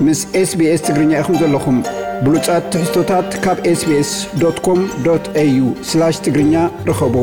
ምስ SBS ትግርኛ ኢኹም ዘለኹም። ብሉጻት ትሕዝቶታት ካብ SBS.com.au/ትግርኛ ርኸቡ።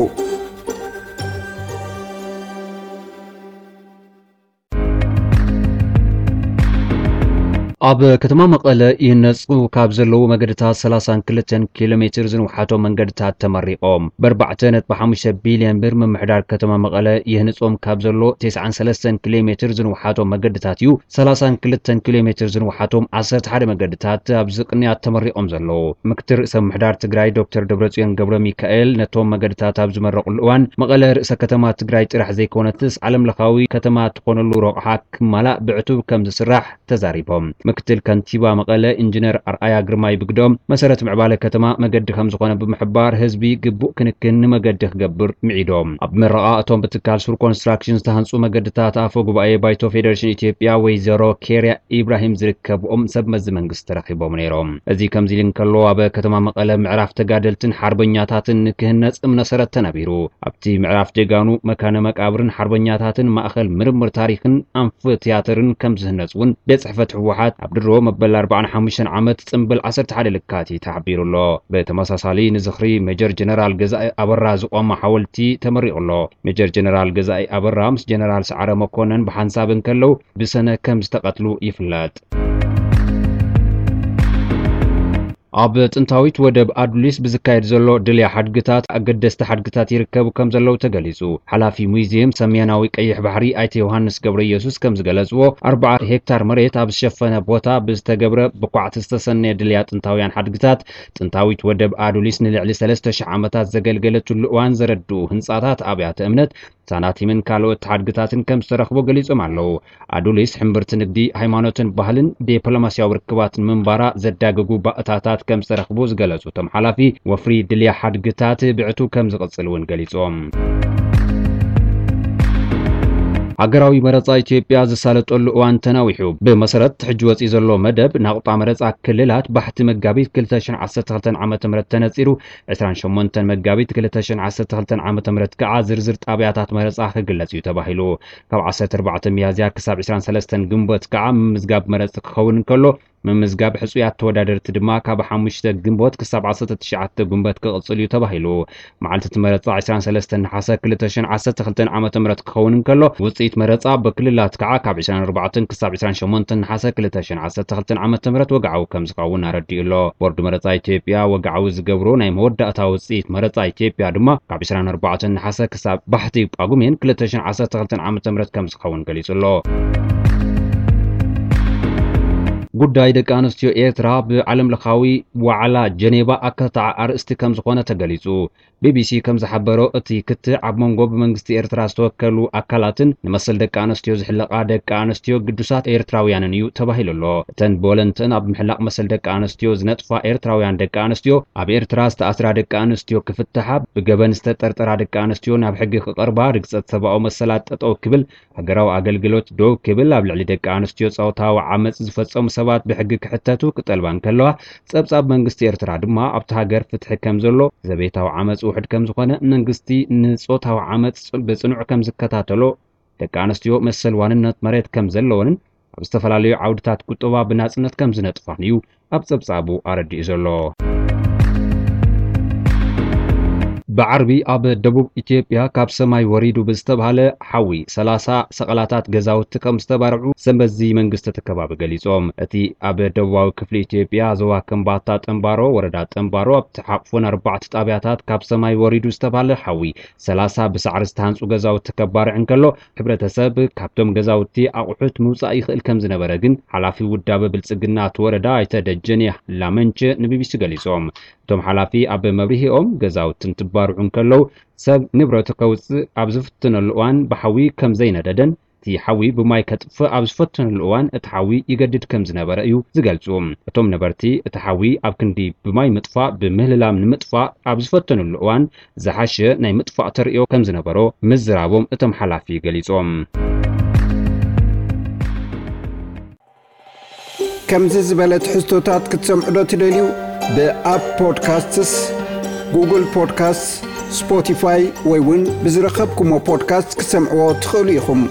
ኣብ ከተማ መቐለ ይህነጹ ካብ ዘለዉ መገድታት ሰላሳን ክልተን ኪሎ ሜትር ዝንውሓቶም መንገድታት ተመሪቖም። ብ4.5 ቢልዮን ብር ምምሕዳር ከተማ መቐለ ይህንጾም ካብ ዘሎ ተስዓን ሰለስተን ኪሎ ሜትር ዝንውሓቶም መገድታት እዩ ሰላሳን ክልተን ኪሎ ሜትር ዝንውሓቶም ዓሰርተ ሓደ መገድታት ኣብዚ ቅንያት ተመሪቖም ዘለዉ። ምክትል ርእሰ ምምሕዳር ትግራይ ዶክተር ደብረጽዮን ገብረ ሚካኤል ነቶም መገድታት ኣብ ዝመረቑሉ እዋን መቐለ ርእሰ ከተማ ትግራይ ጥራሕ ዘይኮነትስ ዓለም ለኻዊ ከተማ ትኾነሉ ረቑሓ ክማላእ ብዕቱብ ከም ዝስራሕ ተዛሪቦም። ምክትል ከንቲባ መቐለ ኢንጂነር ኣርኣያ ግርማይ ብግደኦም፣ መሰረት ምዕባለ ከተማ መገዲ ከም ዝኾነ ብምሕባር፣ ህዝቢ ግቡእ ክንክን ንመገዲ ክገብር ምዒዶም። ኣብ መረቓ እቶም ብትካል ሱር ኮንስትራክሽን ዝተሃንጹ መገድታት ኣፈ ጉባኤ ባይቶ ፌደሬሽን ኢትዮጵያ ወይዘሮ ኬርያ ኢብራሂም ዝርከብኦም ሰብ መዚ መንግስቲ ተረኺቦም ነይሮም። እዚ ከምዚ ኢሉ እንከሎ፣ ኣብ ከተማ መቐለ ምዕራፍ ተጋደልትን ሓርበኛታትን ንክህነጽ እምነ ሰረት ተነቢሩ። ኣብቲ ምዕራፍ ጀጋኑ መካነ መቃብርን ሓርበኛታትን ማእኸል ምርምር ታሪኽን ኣንፍ ትያትርን ከም ዝህነጽ እውን ቤት ጽሕፈት ህወሓት ኣብ ድሮ መበል ኣርባዓን ሓሙሽተን ዓመት ጽምብል ዓሰርተ ሓደ ለካቲት ተሓቢሩ ኣሎ። ብተመሳሳሊ ንዝኽሪ ሜጀር ጀነራል ገዛኢ ኣበራ ዝቖመ ሓወልቲ ተመሪቑ ኣሎ። ሜጀር ጀነራል ገዛኢ ኣበራ ምስ ጀነራል ሰዓረ መኮነን ብሓንሳብ እንከለዉ ብሰነ ከም ዝተቐትሉ ይፍለጥ። ኣብ ጥንታዊት ወደብ ኣዱሊስ ብዝካየድ ዘሎ ድልያ ሓድግታት ኣገደስቲ ሓድግታት ይርከቡ ከም ዘለዉ ተገሊጹ። ሓላፊ ሙዚየም ሰሜናዊ ቀይሕ ባሕሪ ኣይተ ዮሃንስ ገብረ ኢየሱስ ከም ዝገለጽዎ፣ ኣርብዓ ሄክታር መሬት ኣብ ዝሸፈነ ቦታ ብዝተገብረ ብኳዕቲ ዝተሰነየ ድልያ ጥንታውያን ሓድግታት ጥንታዊት ወደብ ኣዱሊስ ንልዕሊ ሰለስተ ሽሕ ዓመታት ዘገልገለትሉ እዋን ዘረድኡ ህንጻታት ኣብያተ እምነት ሳናቲምን ካልኦት ሓድግታትን ከም ዝተረኽቦ ገሊጾም ኣለዉ። ኣዱሊስ ሕምብርቲ ንግዲ፣ ሃይማኖትን ባህልን ዲፕሎማስያዊ ርክባትን ምንባራ ዘዳግጉ ባእታታት ከም ዝተረኽቡ ዝገለጹ እቶም ሓላፊ፣ ወፍሪ ድልያ ሓድግታት ብዕቱብ ከም ዝቕጽል እውን ገሊጾም። ሃገራዊ መረጻ ኢትዮጵያ ዝሳለጠሉ እዋን ተናዊሑ። ብመሰረት ሕጂ ወጺኡ ዘሎ መደብ፣ ናቑጣ መረጻ ክልላት ባሕቲ መጋቢት ክልተ ሽሕን ዓሰርተ ክልተን ዓመተ ምህረት ተነጺሩ፣ ዕስራን ሸሞንተን መጋቢት ክልተ ሽሕን ዓሰርተ ክልተን ዓመተ ምህረት ከኣ ዝርዝር ጣብያታት መረጻ ክግለጽ እዩ ተባሂሉ። ካብ ዓሰርተ ኣርባዕተ ሚያዝያ ክሳብ ዕስራን ሰለስተን ግንቦት ከኣ ምምዝጋብ መረጽ ክኸውን እንከሎ፣ ምምዝጋብ ሕጹያት ተወዳደርቲ ድማ ካብ ሓሙሽተ ግንቦት ክሳብ ዓሰርተ ትሽዓተ ግንቦት ክቕጽል እዩ ተባሂሉ። መዓልቲ እቲ መረጻ ዕስራን ሰለስተን ነሓሰ ክልተ ሽሕን ዓሰርተ ክልተን ዓመተ ምህረት ክኸውን እንከሎ፣ ውጽኢት መረጻ ብክልላት ከኣ ካብ ዕስራን ኣርባዕተን ክሳብ ዕስራን ሸሞንተን ነሓሰ ክልተ ሽሕን ዓሰርተ ክልተን ዓመተ ምህረት ወግዓዊ ከም ዝኸውን ኣረዲኡ ኣሎ። ቦርድ መረጻ ኢትዮጵያ ወግዓዊ ዝገብሮ ናይ መወዳእታ ውጽኢት መረጻ ኢትዮጵያ ድማ ካብ ዕስራን ኣርባዕተን ነሓሰ ክሳብ ባሕቲ ጳጉሜን ክልተ ሽሕን ዓሰርተ ክልተን ዓመተ ምህረት ከም ዝኸውን ገሊጹ ኣሎ። ጉዳይ ደቂ ኣንስትዮ ኤርትራ ብዓለም ለኻዊ ዋዕላ ጀኔቫ ኣካታዒ ኣርእስቲ ከም ዝኾነ ተገሊጹ። ቢቢሲ ከም ዝሓበሮ፣ እቲ ክትዕ ኣብ መንጎ ብመንግስቲ ኤርትራ ዝተወከሉ ኣካላትን ንመሰል ደቂ ኣንስትዮ ዝሕለቓ ደቂ ኣንስትዮ ግዱሳት ኤርትራውያንን እዩ ተባሂሉ ኣሎ። እተን ብወለንተን ኣብ ምሕላቕ መሰል ደቂ ኣንስትዮ ዝነጥፋ ኤርትራውያን ደቂ ኣንስትዮ፣ ኣብ ኤርትራ ዝተኣስራ ደቂ ኣንስትዮ ክፍትሓ፣ ብገበን ዝተጠርጠራ ደቂ ኣንስትዮ ናብ ሕጊ ክቐርባ፣ ርግጸት ሰብኣዊ መሰላት ጠጠው ክብል፣ ሃገራዊ ኣገልግሎት ደው ክብል፣ ኣብ ልዕሊ ደቂ ኣንስትዮ ጾታዊ ዓመጽ ዝፈጸሙ ሰባት ብሕጊ ክሕተቱ ክጠልባ እንከለዋ፣ ጸብጻብ መንግስቲ ኤርትራ ድማ ኣብቲ ሃገር ፍትሒ ከም ዘሎ፣ ዘቤታዊ ዓመጽ ውሑድ ከም ዝኾነ፣ መንግስቲ ንጾታዊ ዓመጽ ጽ-፣ ብጽኑዕ ከም ዝከታተሎ፣ ደቂ ኣንስትዮ መሰል ዋንነት መሬት ከም ዘለወንን ኣብ ዝተፈላለዩ ዓውድታት ቁጠባ ብናጽነት ከም ዝነጥፋን እዩ ኣብ ጸብጻቡ ኣረዲኡ ዘሎ። ብዓርቢ ኣብ ደቡብ ኢትዮጵያ ካብ ሰማይ ወሪዱ ብዝተባህለ ሓዊ ሰላሳ ሰቐላታት ገዛውቲ ከም ዝተባርዑ ሰብ መዚ መንግስቲ እቲ ከባቢ ገሊጾም። እቲ ኣብ ደቡባዊ ክፍሊ ኢትዮጵያ ዞባ ከምባታ ጠምባሮ ወረዳ ጠምባሮ ኣብ ተሓቑፎን ኣርባዕተ ጣብያታት ካብ ሰማይ ወሪዱ ዝተባህለ ሓዊ ሰላሳ ብሳዕሪ ዝተሃንጹ ገዛውቲ ከባርዕ እንከሎ፣ ሕብረተሰብ ካብቶም ገዛውቲ ኣቑሑት ምውጻእ ይኽእል ከም ዝነበረ ግን ሓላፊ ውዳበ ብልጽግና እቲ ወረዳ ኣይተ ደጀኔ ላመንቸ ንቢቢሲ ገሊጾም። እቶም ሓላፊ ኣብ መብርሂኦም፣ ገዛውቲ እንትባርዑ እንከለዉ ሰብ ንብረቱ ከውጽእ ኣብ ዝፍትነሉ እዋን ብሓዊ ከም ዘይነደደን እቲ ሓዊ ብማይ ከጥፍእ ኣብ ዝፈተነሉ እዋን እቲ ሓዊ ይገድድ ከም ዝነበረ እዩ ዝገልጹ። እቶም ነበርቲ እቲ ሓዊ ኣብ ክንዲ ብማይ ምጥፋእ ብምህልላም ንምጥፋእ ኣብ ዝፈተነሉ እዋን ዝሓሸ ናይ ምጥፋእ ተርእዮ ከም ዝነበሮ ምዝራቦም እቶም ሓላፊ ገሊጾም። ከምዚ ዝበለ ትሕዝቶታት ክትሰምዑ ዶ ትደልዩ? ብኣፕ ፖድካስትስ፣ ጉግል ፖድካስትስ፣ ስፖቲፋይ ወይ እውን ብዝረኸብኩሞ ፖድካስት ክትሰምዕዎ ትኽእሉ ኢኹም።